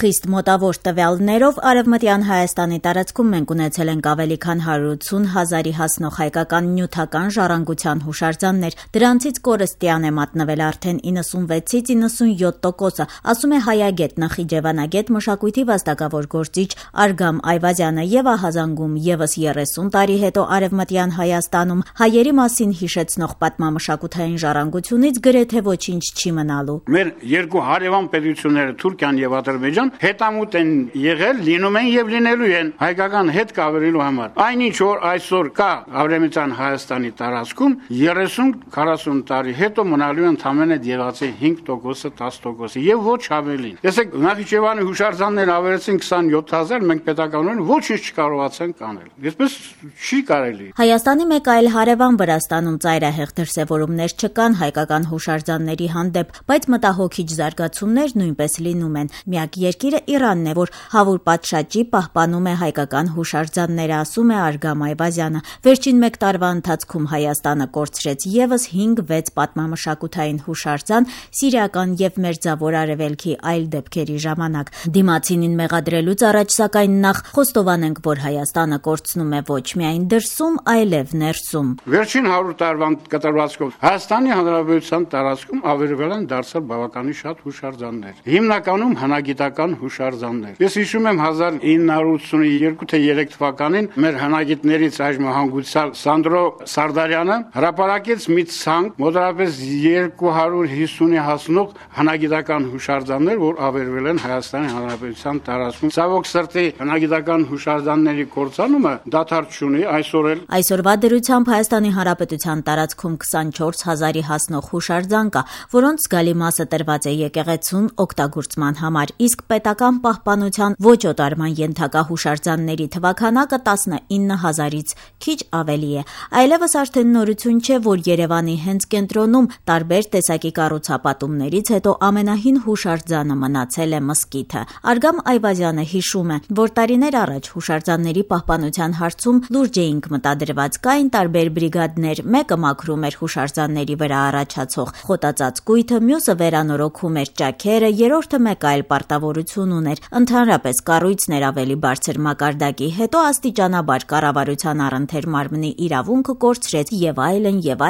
Խիստ մոտավոր տվյալներով Արևմտյան Հայաստանի տարածքում մենք ունեցել ենք ավելի քան 180 հազարի հասնող հայկական նյութական ժառանգության հուշարձաններ, դրանցից կորստյան է մատնվել արդեն 96-ից 97%, ասում է հայագետ, նախիջևանագետ, մշակույթի վաստակավոր գործիչ Արգամ Այվազյանը եւ ահազանգում եւս 30 տարի հետո Արևմտյան Հայաստանում հայերի մասին հիշեցնող պատմամշակութային ժառանգությունից գրեթե ոչինչ չի մնալու։ Մեր երկու հարևան պետությունները Թուրքիան եւ Ադրբեջան հետամուտ են եղել, լինում են եւ լինելու են հայկական հետ կավերելու համար։ Այնինչ որ այսօր կա Արևմտյան Հայաստանի տարածքում 30-40 տարի հետո մնալու են ընդամենը եղածի 5%-ը 10% եւ ոչ ավելին։ Տեսեք, Նախիջևանի հուշարձաններ ավերեցին 27000, մենք պետականորեն ոչինչ չկարողացանք անել։ Այսպես չի կարելի։ Հայաստանի մեկ այլ հարևան Վրաստանում ծայրահեղ դրսևորումներ չկան հայկական հուշարձանների հանդեպ, բայց մտահոգիչ զարգացումներ նույնպես լինում են։ Միակ երկիրը Իրանն է, որ հավուր պատշաճի պահպանում է հայկական հուշարձանները, ասում է Արգամ Այվազյանը։ Վերջին մեկ տարվա ընթացքում Հայաստանը կորցրեց եւս 5-6 պատմամշակութային հուշարձան Սիրիական եւ Մերձավոր Արևելքի այլ դեպքերի ժամանակ։ Դիմացինին մեղադրելուց առաջ սակայն նախ խոստովանենք, որ Հայաստանը կորցնում է ոչ միայն դրսում, այլև ներսում։ Վերջին 100 տարվա կտրվածքով Հայաստանի Հանրապետության տարածքում ավերվել են դարձել բավականին շատ հուշարձաններ։ Հիմնականում հնագիտական հուշարձաններ։ Ես հիշում եմ 1982-3 թվականին մեր հնագիտներից այժմ հանգուցյալ Սանդրո Սարդարյանը հրապարակեց մի ցանկ մոտավորապես 250-ի հասնող հնագիտական հուշարձաններ, որ ավերվել են Հայաստանի Հանրապետության տարածքում։ Ցավոք սրտի հնագիտական հուշարձանների կորցանումը դադար չունի Այսօրվա դրությամբ Հայաստանի Հանրապետության տարածքում 24000-ի հասնող հուշարձան կա, որոնց զգալի մասը տրված է եկեղեցուն օգտագործման համար, իսկ պետական պահպանության ոչ օտարման ենթակա հուշարձանների թվաքանակը 19000-ից քիչ ավելի է։ Այլևս արդեն նորություն չէ, որ Երևանի հենց կենտրոնում տարբեր տեսակի կառուցապատումներից հետո ամենահին հուշարձանը մնացել է մզկիթը։ Արգամ Այվազյանը հիշում է, որ տարիներ առաջ հուշարձանների պահպանության հարցում լուրջ էինք մտադրված, կային տարբեր բրիգադներ, մեկը մաքրում էր հուշարձանների վրա առաջացող խոտածածկույթը, մյուսը վերանորոգում էր ճաքերը, երրորդը մեկ այլ պարտավորություն ուներ։ Ընդհանրապես կառույցն էր ավելի բարձր մակարդակի, հետո աստիճանաբար կառավարության առընթեր մարմնի իրավունքը կորցրեց եւ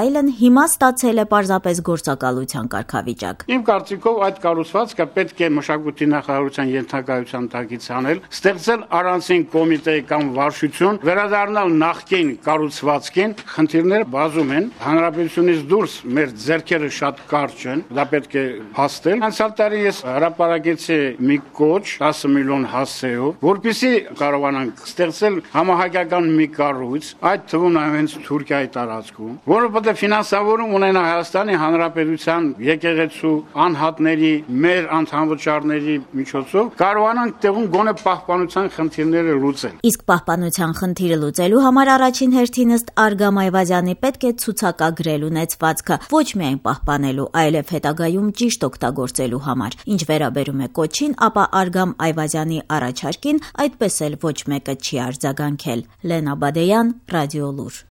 այլն, հիմա ստացել է պարզապես գործակալության կարգավիճակ։ Իմ կարծիքով այդ կառուցվածքը պետք է մշակույթի նախարարության ենթակայության տակից անել, ստեղծել առանցին կոմիտե կամ վարչություն, վերադառնալ նախկին կառուցվածքին, խնդիրները բազում են, հանրապետությունից դուրս մեր ձեռքերը շատ կարճ են, դա պետք է փաստել։ Անցյալ տարի ես հրապարակեցի մի կոչ 10 միլիոն հասցեով, որպեսզի կարողանանք ստեղծել համահայկական մի կառույց, այդ թվում հենց Թուրքիայի տարածքում, որը պետք է ֆինանսավորում ունենա Հայաստանի Հանրապետության եկեղեցու անհատների, մեր անդամվճարների միջոցով, կարողանանք տեղում գոնե պահպանության խնդիրները լուծել։ Իսկ պահպանության խնդիրը լուծելու համար առաջին հերթին ըստ Արգամ Այվազյանի պետք է ցուցակագրել ունեցվածքը, ոչ միայն պահպանելու, այլև հետագայում ճիշտ օգտագործելու համար։ Ինչ վերաբերում է կոչին, ապա Արգամ Այվազյանի առաջարկին այդպես էլ ոչ մեկը չի արձագանքել։ Լենա Բադեյան, Ռադիոլուր։